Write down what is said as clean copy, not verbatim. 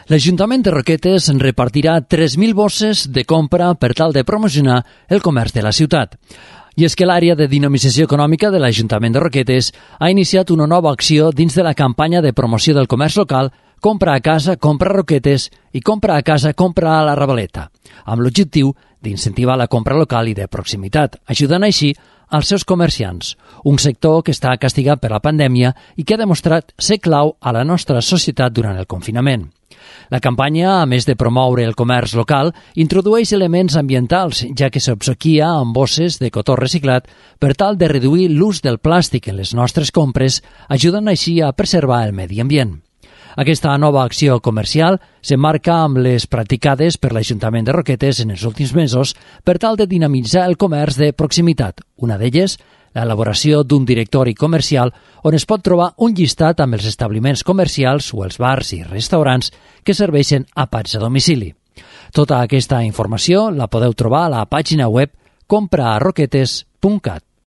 L'Ajuntament de Roquetes repartirà 3.000 bosses de compra per tal de promocionar el comerç de la ciutat. I és que l'àrea de dinamització econòmica de l'Ajuntament de Roquetes ha iniciat una nova acció dins de la campanya de promoció del comerç local Compra a casa, compra a Roquetes i compra a casa, compra a la Ravaleta, amb l'objectiu d'incentivar la compra local i de proximitat, ajudant així als seus comerciants, un sector que està castigat per la pandèmia i que ha demostrat ser clau a la nostra societat durant el confinament. La campanya, a més de promoure el comerç local, introdueix elements ambientals, ja que s'obsequia amb bosses de cotó reciclat per tal de reduir l'ús del plàstic en les nostres compres, ajudant així a preservar el medi ambient. Aquesta nova acció comercial s'emmarca amb les practicades per l'Ajuntament de Roquetes en els últims mesos per tal de dinamitzar el comerç de proximitat. Una d'elles, l'elaboració d'un directori comercial on es pot trobar un llistat amb els establiments comercials o els bars i restaurants que serveixen àpats a domicili. Tota aquesta informació la podeu trobar a la pàgina web compraarroquetes.cat.